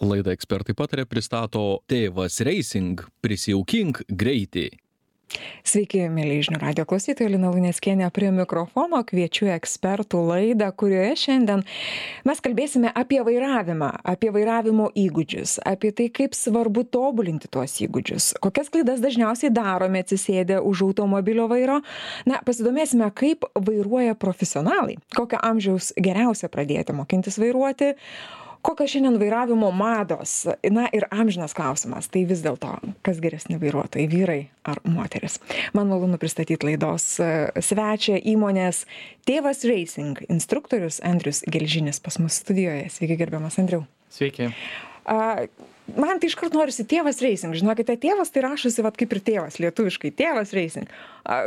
Laida Ekspertai pataria pristato Tėvas Racing – prisijaukink greitį. Sveiki, mėly žinių radijo klausytojai, Lina Luneckienė prie mikrofono, kviečiu ekspertų laidą, kurioje šiandien mes kalbėsime apie vairavimą, apie vairavimo įgūdžius, apie tai, kaip svarbu tobulinti tuos įgūdžius, kokias klaidas dažniausiai darome atsisėdę už automobilio vairo. Pasidomėsime, kaip vairuoja profesionalai, kokio amžiaus geriausia pradėti mokintis vairuoti, kokios šiandien vairavimo mados. Ir amžinas klausimas, tai vis dėlto, kas geresni vairuotojai, vyrai ar moteris. Man malonu pristatyti laidos svečią įmonės Tėvas Racing instruktorius Andrius Gelžinis pas mus studijoje. Sveiki, gerbiamas Andriau. Sveiki. Man tai iškart norisi Tėvas Racing. Žinokite, tėvas tai rašosi kaip ir tėvas, lietuviškai. Tėvas Racing.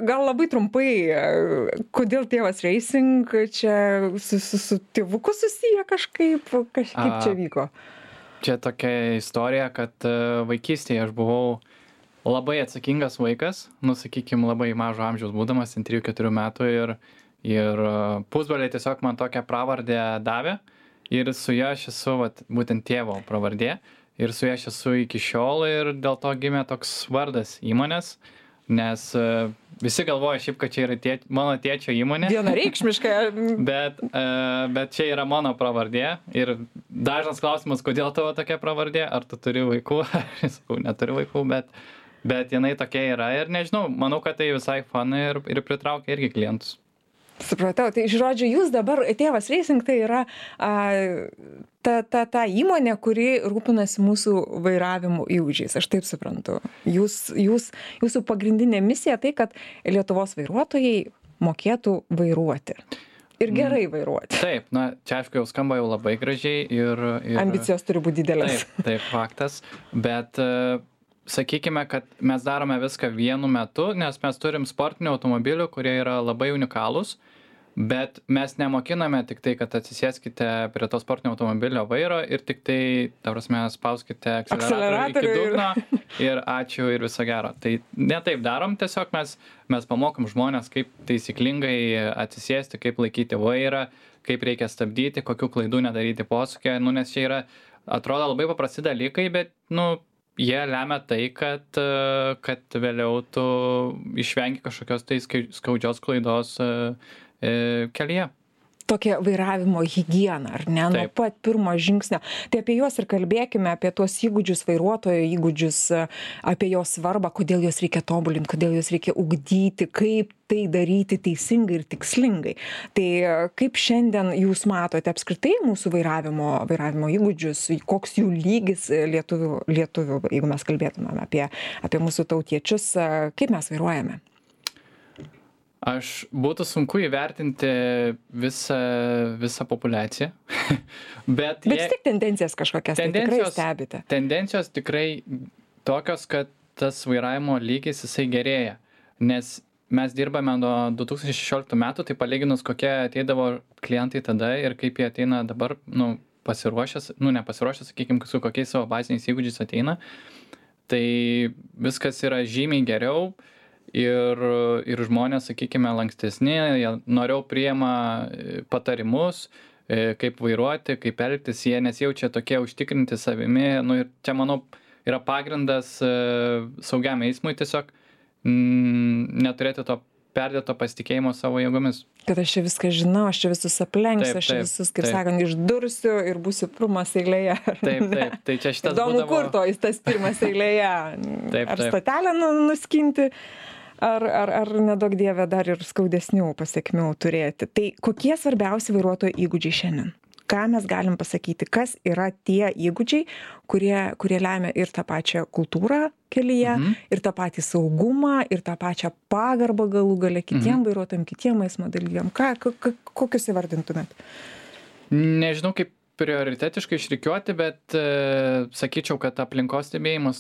Gal labai trumpai, kodėl Tėvas Racing čia su tėvuku susiję kažkaip čia vyko? Čia tokia istorija, kad vaikystėje aš buvau labai atsakingas vaikas, sakykime, labai mažo amžiaus būdamas, 3-4 metų ir pusbroliai tiesiog man tokią pravardę davė ir su ja aš esu būtent tėvo pravardė. Ir su ja aš esu iki šiol ir dėl to gimė toks vardas įmonės, nes visi galvoja šiaip, kad čia yra mano tėčio įmonė. Vienareikšmiškai. Bet čia yra mano pravardė ir dažnas klausimas, kodėl tavo tokia pravardė, ar tu turi vaikų, ar neturi vaikų, bet jinai tokia yra ir nežinau, manau, kad tai visai fun ir pritraukia irgi klientus. Supratau, tai žodžiu, jūs dabar, Tėvas Racing, tai yra ta įmonė, kuri rūpinasi mūsų vairavimo įgūdžiais, aš taip suprantu. Jūsų pagrindinė misija tai, kad Lietuvos vairuotojai mokėtų vairuoti. Ir gerai vairuoti. Taip, čia aišku jau skamba jau labai gražiai ir ambicijos turi būti didelės. Taip, faktas, bet sakykime, kad mes darome viską vienu metu, nes mes turim sportinių automobilių, kurie yra labai unikalūs, bet mes nemokiname tik tai, kad atsisėskite prie to sportinio automobilio vairo ir tik tai, ta prasme, spauskite akceleratorių iki dugno ir ačiū ir viso gero. Tai ne taip darom, tiesiog mes pamokom žmonės, kaip taisyklingai atsisėsti, kaip laikyti vairą, kaip reikia stabdyti, kokių klaidų nedaryti posūkyje, nes čia yra, atrodo, labai paprasti dalykai, bet, jie lemia tai, kad vėliau tu išvengi kažkokios tai skaudžios klaidos kelyje. Tokia vairavimo higiena, ar ne? Nuo pat pirmo žingsnio. Tai apie juos ir kalbėkime, apie tuos įgūdžius, vairuotojo įgūdžius, apie jo svarbą, kodėl juos reikia tobulinti, kodėl juos reikia ugdyti, kaip tai daryti teisingai ir tikslingai. Tai kaip šiandien jūs matote apskritai mūsų vairavimo įgūdžius, koks jų lygis lietuvių, jeigu mes kalbėtumėm apie mūsų tautiečius, kaip mes vairuojame? Būtų sunku įvertinti visą populiaciją, bet vis tik tendencijas kažkokias tikrai stebite. Tendencijos tikrai tokios, kad tas vairavimo lygis jisai gerėja, nes mes dirbame nuo 2016 metų, tai palyginus kokie ateidavo klientai tada ir kaip jie ateina dabar, nepasiruošęs, sakykime, su kokiais savo baziniais įgūdžiais ateina, tai viskas yra žymiai geriau. Ir žmonės, sakykime, lankstesni, jie noriau priima patarimus, kaip vairuoti, kaip elgtis, jie nesijaučia tokie užtikrinti savimi. Ir čia, manau, yra pagrindas saugiam eismui tiesiog neturėti to perdėto pasitikėjimo savo jėgomis. Kad aš čia viską žinau, aš čia visus aplenksiu, aš čia visus, kaip sakant, išdursiu ir būsiu pirmas eilėje. Taip. Tai čia šitas įdomu, kur to jis tas pirmas eilėje. Ar stotelę nuskinti, ar nedaug dievė dar ir skaudesnių pasiekmių turėti. Tai kokie svarbiausi vairuotojo įgūdžiai šiandien? Ką mes galim pasakyti, kas yra tie įgūdžiai, kurie lemia ir tą pačią kultūrą kelyje, ir tą patį saugumą, ir tą pačią pagarbą galų gale kitiem vairuotojam, kitiem eismo dalyviam. Kokius įvardintumėt? Nežinau, kaip prioritetiškai išrikiuoti, bet sakyčiau, kad aplinkos stebėjimas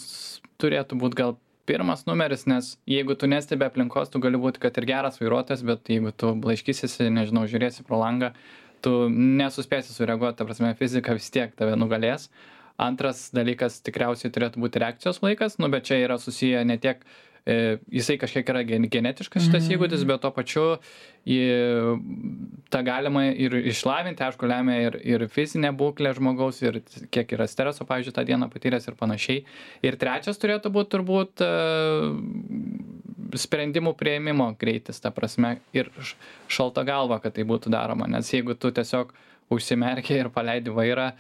turėtų būti gal pirmas numeris, nes jeigu tu nestebi aplinkos, tu gali būti, kad ir geras vairuotojas, bet jeigu tu blaiškysiesi, nežinau, žiūrėsi pro langą, tu nesuspėsi sureaguoti, ta prasme, fizika vis tiek tave nugalės. Antras dalykas tikriausiai turėtų būti reakcijos laikas, bet čia yra susiję ne tiek jisai kažkiek yra genetiškas šitas įgūdis, bet tuo pačiu tą galima ir išlavinti, aišku, lemia ir fizinė būklė žmogaus, ir kiek yra streso, pavyzdžiui, tą dieną patyręs ir panašiai. Ir trečias turėtų būti turbūt sprendimų priėmimo greitis, ta prasme, ir šalta galva, kad tai būtų daroma, nes jeigu tu tiesiog užsimerki ir paleidi vairą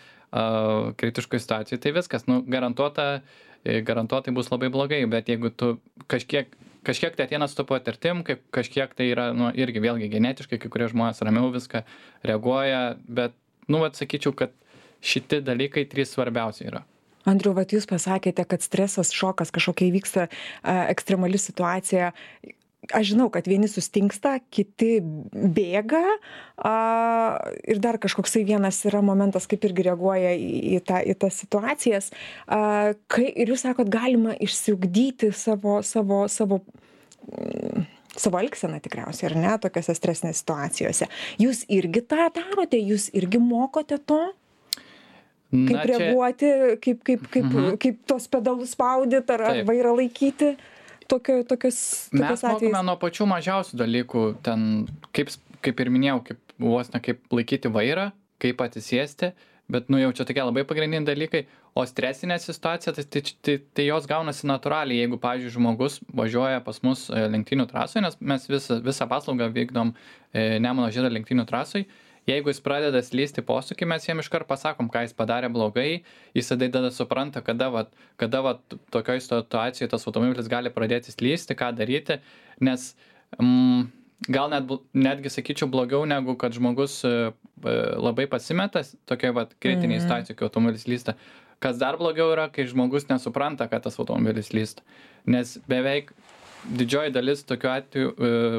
kritiškoj situacijoj, tai viskas, garantuotai bus labai blogai, bet jeigu tu kažkiek tai ateina su to patirtim, kažkiek tai yra, irgi vėlgi genetiškai, kai kurie žmonės ramiau viską reaguoja, bet, sakyčiau, kad šiti dalykai 3 svarbiausia yra. Andriau, jūs pasakėte, kad stresas, šokas kažkokia įvyksta ekstremali situacija. Aš žinau, kad vieni sustingsta, kiti bėga ir dar kažkoksai vienas yra momentas, kaip irgi reaguoja į tas situacijas. Ir jūs sakot, galima išsiugdyti savo elgseną tikriausiai, ar ne, tokiose stresinėse situacijose. Jūs irgi tą darote, jūs irgi mokote to? Kaip reaguoti, kaip tos pedalus spaudyti ar vairą laikyti? Tokius mes mokome nuo pačių mažiausių dalykų, ten, kaip ir minėjau, kaip laikyti vairą, kaip atsisėsti, bet jau čia tokie labai pagrindiniai dalykai, o stresinė situacija, tai jos gaunasi natūraliai, jeigu, pavyzdžiui, žmogus važiuoja pas mus lenktynių trasoje, nes mes visą paslaugą vykdom Nemuno Žiedo lenktynių trasoj. Jeigu jis pradeda slysti posūkį, mes jam iškart pasakom, ką jis padarė blogai, jis tada supranta, kada tokioj situacijoje tas automobilis gali pradėti slysti, ką daryti, nes gal netgi sakyčiau blogiau, negu kad žmogus labai pasimetas tokioj kritinėje situacijoje, kai automobilis slysta. Kas dar blogiau yra, kai žmogus nesupranta, kad tas automobilis slysta, nes beveik didžioji dalis tokiu atveju,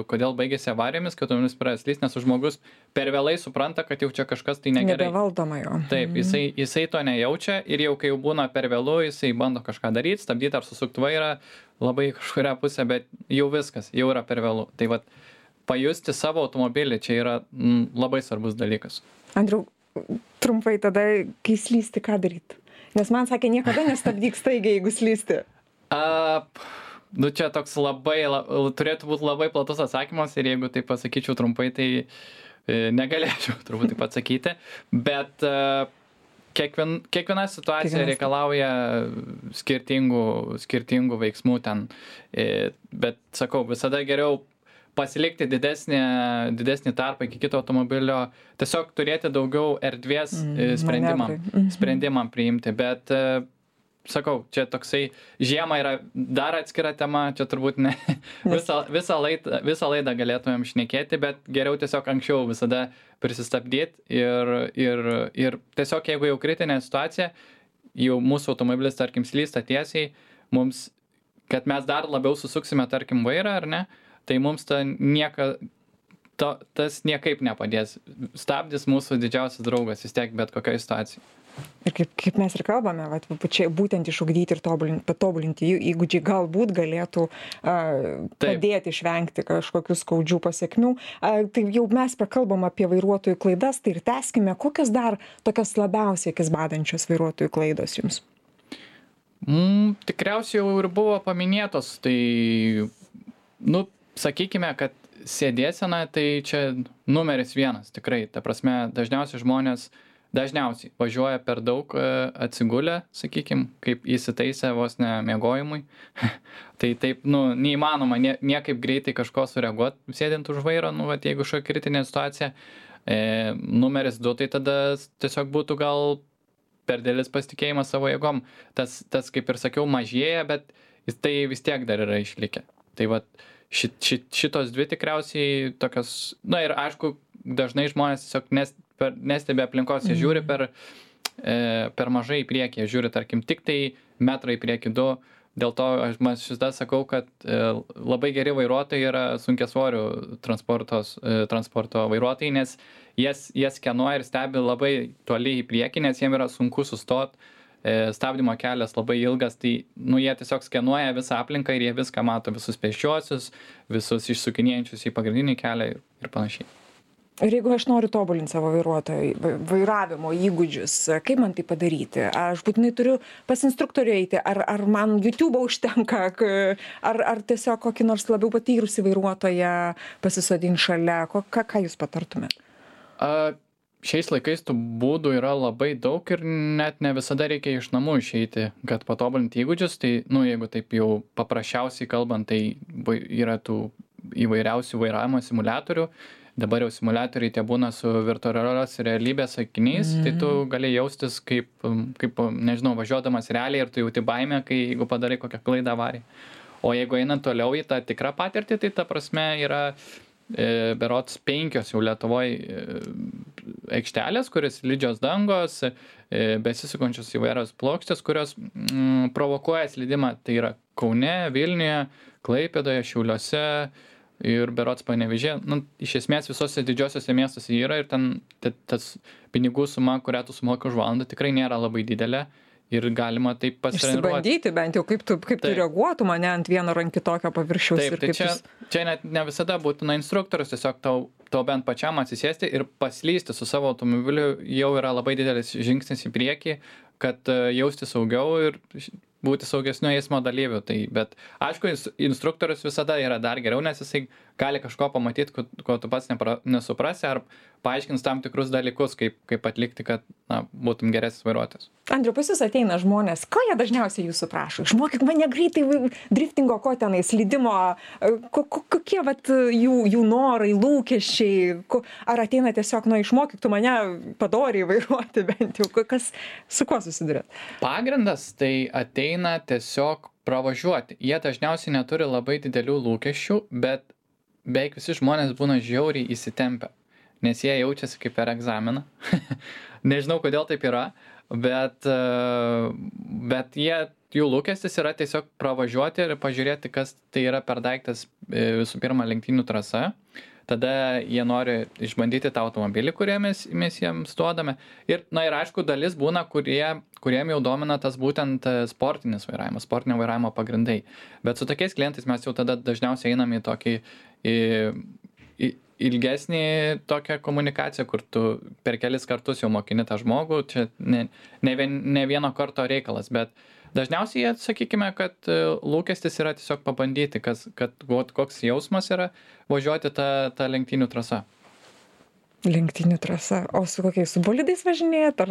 kodėl baigėsi avarijomis, kad automobilis pradės slysti, nes žmogus per vėlai supranta, kad jau čia kažkas tai negerai. Nebevaldoma jo. Taip, jisai to nejaučia ir jau kai jau būna per vėlu, jisai bando kažką daryti, stabdyti ar susukti vairą labai kažkuria pusė, bet jau viskas, jau yra per vėlu. Tai pajusti savo automobilį čia yra labai svarbus dalykas. Andriau, trumpai tada, kai slysti, ką daryti? Nes man sakė, niekada nestabdyk staigiai, jeigu slysti. Čia toks turėtų būti labai platus atsakymas ir jeigu tai pasakyčiau trumpai, tai negalėčiau turbūt taip atsakyti, bet kiekviena situacija reikalauja skirtingų veiksmų ten, bet sakau, visada geriau pasilikti didesnį tarpą iki kito automobilio, tiesiog turėti daugiau erdvės sprendimam priimti, bet sakau, čia toksai žiema yra dar atskira tema, čia turbūt ne visą laidą galėtumėm šnekėti, bet geriau tiesiog anksčiau visada prisistabdyti ir tiesiog jeigu jau kritinė situacija, jau mūsų automobilis, tarkim, slysta tiesiai, mums, kad mes dar labiau susuksime, tarkim, vairą, ar ne, tai mums tas niekaip nepadės. Stabdis mūsų didžiausias draugas vis tiek bet kokioje situacijoje. Ir kaip mes ir kalbame, čia būtent išugdyti ir patobulinti įgūdžiai galbūt galėtų padėti išvengti kažkokių skaudžių pasiekmių. Tai jau mes pakalbam apie vairuotojų klaidas, tai ir tęskime, kokios dar tokios labiausiai akis badančios vairuotojų klaidos jums? Tikriausiai jau ir buvo paminėtos, tai, sakykime, kad sėdėsena, tai čia numeris 1, tikrai. Ta prasme, dažniausiai važiuoja per daug atsigulę, sakykim, kaip įsitaisę vos ne miegojimui. Tai taip, neįmanoma niekaip greitai kažko sureaguoti, sėdint už vairo, jeigu kažkokia kritinė situacija. Numeris 2, tai tada tiesiog būtų gal per didelis pasitikėjimas savo jėgom. Tas, kaip ir sakiau, mažėja, bet tai vis tiek dar yra išlikę. Tai šitos 2 tikriausiai tokios, ir aišku, dažnai žmonės tiesiog nestebi aplinkos, jie žiūri per mažai į priekį, jie žiūri, tarkim, tik tai metrą į priekį 2, dėl to aš šitą sakau, kad labai geri vairuotojai yra sunkiasvorių transporto vairuotojai, nes jie skenuoja ir stebi labai toli į priekį, nes jiem yra sunku sustoti, stabdymo kelias labai ilgas, tai jie tiesiog skenuoja visą aplinką ir jie viską mato, visus pėsčiuosius, visus išsukinėjančius į pagrindinį kelią ir panašiai. Ir jeigu aš noriu tobulinti savo vairavimo įgūdžius, kaip man tai padaryti? Aš būtinai turiu pas instruktorių eiti, ar man YouTube užtenka, ar tiesiog kokį nors labiau patyrusį vairuotoją pasisodinti šalia? Ką jūs patartumėt? Šiais laikais tų būdų yra labai daug ir net ne visada reikia iš namų išeiti, kad patobulinti įgūdžius. Tai, jeigu taip jau paprasčiausiai kalbant, tai yra tų įvairiausių vairavimo simuliatorių. Dabar jau simuliatoriai tie būna su virtualios realybės akiniais, tai tu gali jaustis kaip, nežinau, važiuodamas realiai ir tu jauti baimę, jeigu padarai kokią klaidą avariją. O jeigu einant toliau į tą tikrą patirtį, tai ta prasme yra berods 5 jau Lietuvoje aikštelės, kuris slidžios dangos, besisukančios įvairios plokštės, kurios provokuoja slydimą. Tai yra Kaune, Vilniuje, Klaipėdoje, Šiauliuose ir berods Panevėžyje. Iš esmės visose didžiosiuose miestuose yra ir ten tas pinigų suma, kurią tu sumoki už valandą, tikrai nėra labai didelė. Ir galima taip pasitreniruoti. Išsibandyti bent jau, kaip tu reaguotum ane ant vieno ar kitokio paviršiaus. Taip, tai čia net ne visada būtina instruktorius, tiesiog tau bent pačiam atsisėsti ir paslysti su savo automobiliu jau yra labai didelis žingsnis į priekį, kad jausti saugiau ir būti saugesniu eismo dalyviu. Bet aišku, instruktorius visada yra dar geriau, nes jisai gali kažko pamatyti, ko tu pats nesuprasi, ar paaiškins tam tikrus dalykus, kaip atlikti, kad būtum geresnis vairuotojas. Andriau, pas jūs ateina žmonės, ko jie dažniausiai jūsų prašo? Išmokyk mane greitai driftingo, ko tenai, slydimo, kokie jų norai, lūkesčiai, ar ateina tiesiog, išmokyk tu mane padoriai vairuoti bent jau, su kuo susidurėt? Pagrindas tai ateina tiesiog pravažiuoti. Jie dažniausiai neturi labai didelių lūkesčių, bet beveik visi žmonės būna žiauriai įsitempę, nes jie jaučiasi kaip per egzaminą. Nežinau, kodėl taip yra, bet jų lūkestis yra tiesiog pravažiuoti ir pažiūrėti, kas tai yra per daiktas, visų pirma, lenktynių trasa. Tada jie nori išbandyti tą automobilį, kurį mes jiems duodame. Ir aišku, dalis būna, kuriem jau domina tas būtent sportinis vairavimas, sportinio vairavimo pagrindai. Bet su tokiais klientais mes jau tada dažniausiai einam į tokį ilgesnį tokią komunikaciją, kur tu per kelis kartus jau mokini tą žmogų. Čia ne vieno karto reikalas, bet dažniausiai jie, sakykime, kad lūkestis yra tiesiog pabandyti, koks jausmas yra važiuoti tą lenktynių trasą. Lenktynių trasa. O su kokiais, su bolidais važinėjat?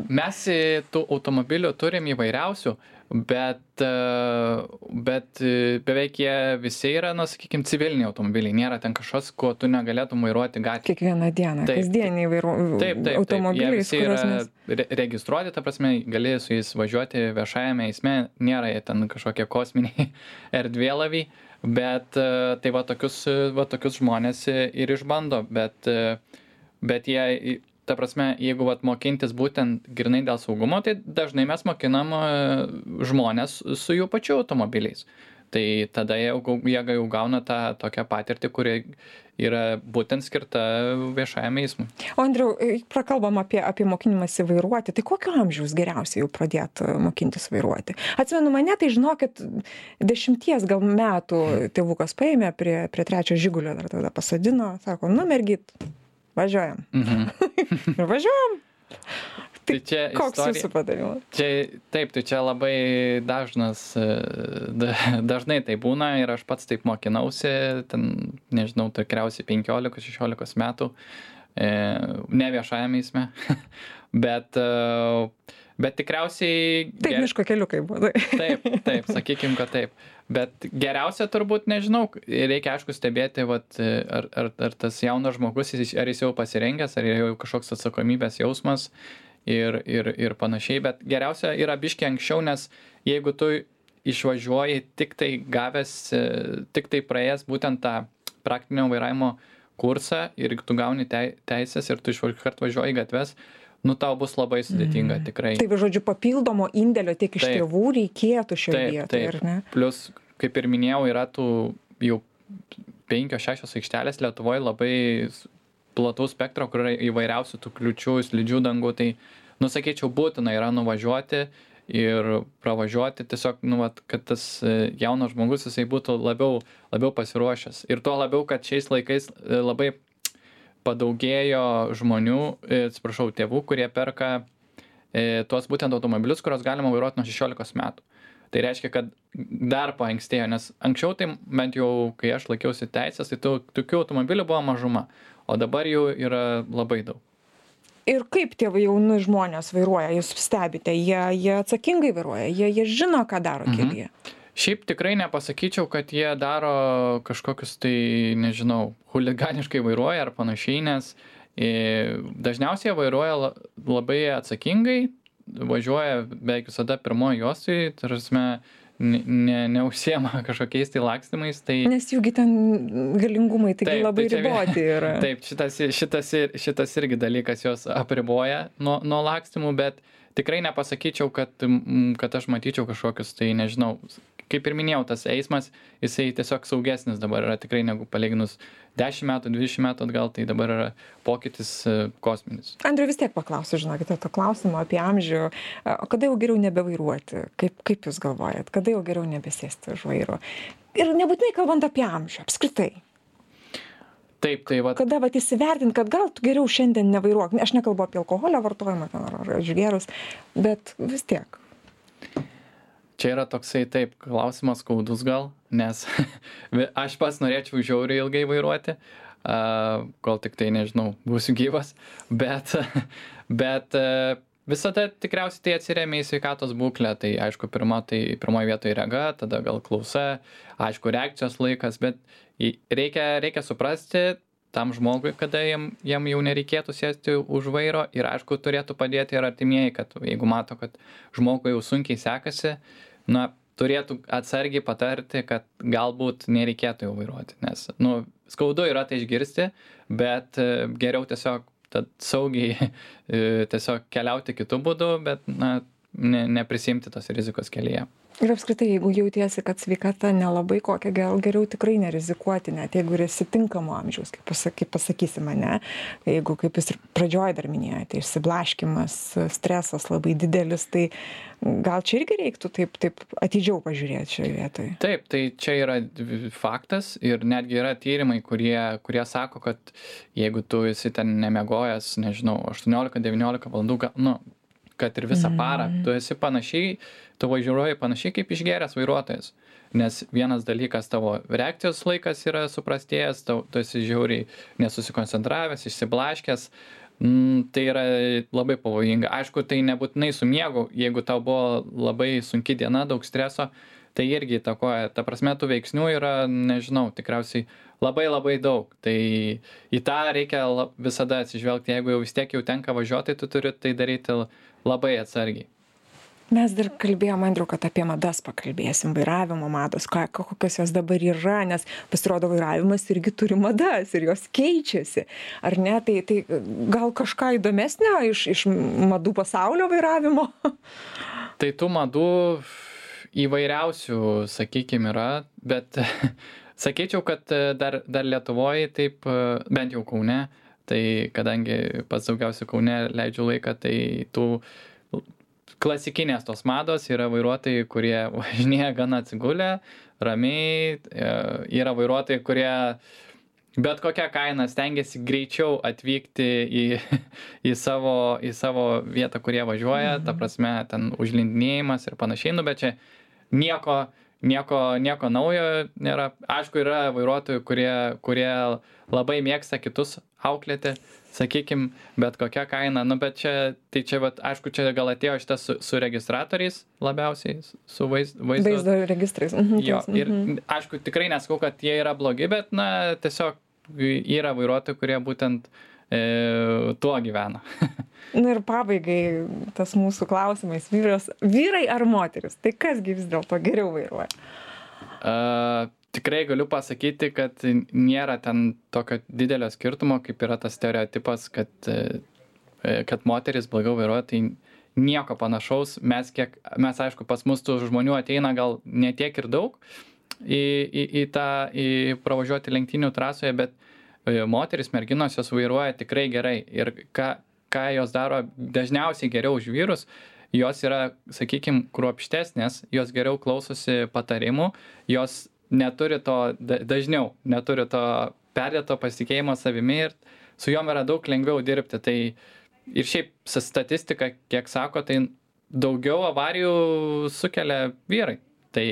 Mes tų automobilių turim įvairiausių, bet beveik jie visi yra, sakykime, civiliniai automobiliai. Nėra ten kažkas, ko tu negalėtum vairuoti gatvėje. Kiekvieną dieną, kasdieniai automobiliai. Jie visi yra registruoti, ta prasme, gali su jais važiuoti viešajame eisme, nėra jie ten kažkokie kosminiai erdvėlaviai. Bet tai tokius žmonės ir išbando, bet jie, ta prasme, jeigu mokintis būtent grynai dėl saugumo, tai dažnai mes mokinam žmonės su jų pačių automobiliais. Tai tada jie jau gauna tą tokią patirtį, kuri yra būtent skirta viešajam eismui. O Andriau, prakalbam apie mokinimąsi vairuoti, tai kokio amžiaus geriausiai jau pradėti mokintis vairuoti? Atsimenu mane, tai žinokit, 10 gal metų tėvukas paėmė prie 3 Žigulio, dar tada pasodino, sako, mergyt, važiuojam. Ir važiuojam. Tai koks jūsų patarimas? Taip, tai čia labai dažnai tai būna ir aš pats taip mokinausi, ten, nežinau, tikriausiai 15-16 metų, ne viešajame eisme, bet tikriausiai... Taip, miško keliukai buvo. Taip, sakykim, kad taip. Bet geriausia turbūt, nežinau, reikia aišku stebėti, ar tas jaunas žmogus, ar jis jau pasirengęs, ar jau kažkoks atsakomybės jausmas, ir panašiai, bet geriausia yra biškį anksčiau, nes jeigu tu išvažiuoji tik tai praėjęs būtent tą praktinio vairavimo kursą ir tu gauni teisės ir tu iškart važiuoji gatves, tau bus labai sudėtinga tikrai. Tai žodžiu, papildomo indėlio tiek iš tėvų reikėtų šioje vietoje, ar ne? Plus, kaip ir minėjau, yra tų jau 5-6 aikštelės Lietuvoje labai plataus spektro, kur yra įvairiausių tų kliūčių, slidžių dangų, tai, sakyčiau, būtina yra nuvažiuoti ir pravažiuoti tiesiog, kad tas jaunas žmogus, jisai būtų labiau pasiruošęs. Ir tuo labiau, kad šiais laikais labai padaugėjo žmonių, atsiprašau, tėvų, kurie perka tuos būtent automobilius, kurios galima vairuoti nuo 16 metų. Tai reiškia, kad dar paankstėjo, nes anksčiau tai bent jau, kai aš laikiausi teisės, tai tokių automobilių buvo mažuma, o dabar jų yra labai daug. Ir kaip tie jauni žmonės vairuoja, jūs stebite, jie atsakingai vairuoja, jie žino, ką daro kelyje. Šiaip tikrai nepasakyčiau, kad jie daro kažkokius tai, nežinau, huliganiškai vairuoja ar panašiai, nes dažniausiai vairuoja labai atsakingai, važiuoja beveik visada pirmoji juostoj, tarsi neužsiema kažkokiais tai lakstymais. Tai... Nes jūgi ten galingumai taigi labai riboti yra. Taip, šitas irgi dalykas jos apriboja nuo lakstymų, bet tikrai nepasakyčiau, kad aš matyčiau kažkokius, tai nežinau, kaip ir minėjau, tas eismas, jisai tiesiog saugesnis dabar yra tikrai negu palyginus 10 metų, 20 metų atgal, tai dabar yra pokytis kosminis. Andriu, vis tiek paklausiu, žinokite, to klausimo apie amžių. Kada jau geriau nebevairuoti? Kaip jūs galvojat? Kada jau geriau nebesėsti už vairo? Ir nebūtinai kalbant apie amžių, apskritai. Taip, tai va. Kada įsivertint, kad gal tu geriau šiandien nevairuok. Aš nekalbu apie alkoholio vartojimą ar išgėrus, bet vis tiek. Čia yra toksai taip klausimas skaudus gal, nes aš pats norėčiau žiauriai ilgai vairuoti, kol tik tai, nežinau, būsiu gyvas, bet visada tikriausiai tai atsiremia į sveikatos būklę, tai aišku, pirmoje vietoje rega, tada gal klausa, aišku, reakcijos laikas, bet reikia suprasti tam žmogui, kada jam jau nereikėtų sėsti už vairo ir aišku, turėtų padėti ir artimieji, kad jeigu mato, kad žmogui jau sunkiai sekasi, turėtų atsargiai patarti, kad galbūt nereikėtų jau vairuoti, nes, skaudu yra tai išgirsti, bet geriau tiesiog saugiai tiesiog keliauti kitų būdų, bet, neprisimti tos rizikos kelyje. Ir apskritai, jeigu jautiesi, kad sveikata nelabai kokia, geriau tikrai nerizikuoti, net jeigu ir esi tinkamo amžiaus, kaip pasakysime, ne? Jeigu, kaip jūs ir pradžioje dar minėjote, išsiblaškymas, stresas labai didelis, tai gal čia irgi reiktų taip atidžiau pažiūrėti šioje vietoje. Taip, tai čia yra faktas ir netgi yra tyrimai, kurie sako, kad jeigu tu esi ten nemiegojęs, nežinau, 18-19 valandų, kad ir visą parą, tu esi panašiai, tu važiuoji panašiai kaip išgėręs vairuotojas. Nes vienas dalykas, tavo reakcijos laikas yra suprastėjęs, tu esi žiauriai nesusikoncentravęs, išsiblaškęs, tai yra labai pavojinga. Aišku, tai nebūtinai su miegu, jeigu tau buvo labai sunki diena, daug streso, tai irgi įtakoja. Ta prasme, tų veiksnių yra, nežinau, tikriausiai labai daug. Tai į tą reikia visada atsižvelgti. Jeigu jau vis tiek jau tenka važiuoti, tu turi tai daryti labai atsargiai. Mes dar kalbėjom, Andriau, kad apie madas pakalbėsim, vairavimo mados, kokios jos dabar yra, nes pasirodo vairavimas irgi turi madas ir jos keičiasi. Ar ne? Tai gal kažką įdomesnio iš madų pasaulio vairavimo? Tai tų madų įvairiausių, sakykime, yra, bet sakyčiau, kad dar Lietuvoje, taip, bent jau Kaune, tai kadangi pats daugiausiai Kaune leidžiu laiką, tai tų klasikinės tos mados yra vairuotojai, kurie važinėja gana atsigulę, ramiai, yra vairuotojai, kurie bet kokią kainą stengiasi greičiau atvykti į savo vietą, kurie važiuoja, ta prasme, ten užlindinėjimas ir panašiai, bet čia nieko naujo nėra. Aišku, yra vairuotojų, kurie labai mėgsta kitus auklėti, sakykim, bet kokia kaina, bet čia aišku, čia gal atėjo šitas su registratoriais labiausiai, su vaizdo registrais. Jo, ir aišku, tikrai nesakau, kad jie yra blogi, bet, tiesiog yra vairuotojų, kurie būtent tuo gyvena. Ir pabaigai tas mūsų klausimais, vyrai ar moteris, tai kasgi vis dėlto geriau vairuoja? Tikrai galiu pasakyti, kad nėra ten tokio didelio skirtumo, kaip yra tas stereotipas, kad moteris blogiau vairuoja, tai nieko panašaus. Mes aišku, pas mus tų žmonių ateina gal ne tiek ir daug į pravažiuoti lenktynių trasoje, bet moteris, merginos jos vairuoja tikrai gerai. Ir ką jos daro dažniausiai geriau už vyrus, jos yra, sakykime, kruopštesnės, jos geriau klausosi patarimų, jos neturi to, dažniau neturi to perdėto pasitikėjimo savimi ir su jom yra daug lengviau dirbti. Tai ir šiaip statistika, kiek sako, tai daugiau avarijų sukelia vyrai. Tai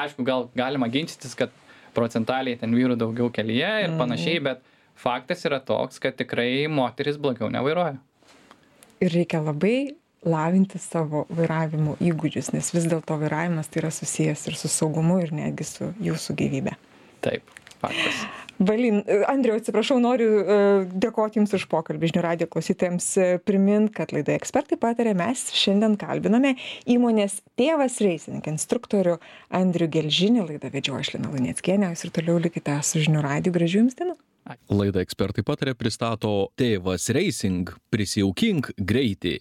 aišku, gal galima ginčytis, kad procentaliai ten vyrų daugiau kelyje ir panašiai, bet faktas yra toks, kad tikrai moteris blogiau nevairuoja. Ir reikia labai lavinti savo vairavimo įgūdžius, nes vis dėlto vairavimas tai yra susijęs ir su saugumu, ir netgi su jūsų gyvybe. Taip, faktas. Andriau, atsiprašau, noriu dėkoti Jums už pokalbį. Žinių radijo klausytojams primint, kad laidoje Ekspertai pataria mes šiandien kalbiname įmonės Tėvas Racing instruktorių Andrių Gelžinį. Laidą vedžioju aš Lina Luneckienė. Jūs ir toliau likite su Žinių radiju. Gražių Jums dienų. Laidą Ekspertai pataria pristato Tėvas Racing. Prisijaukink greitį.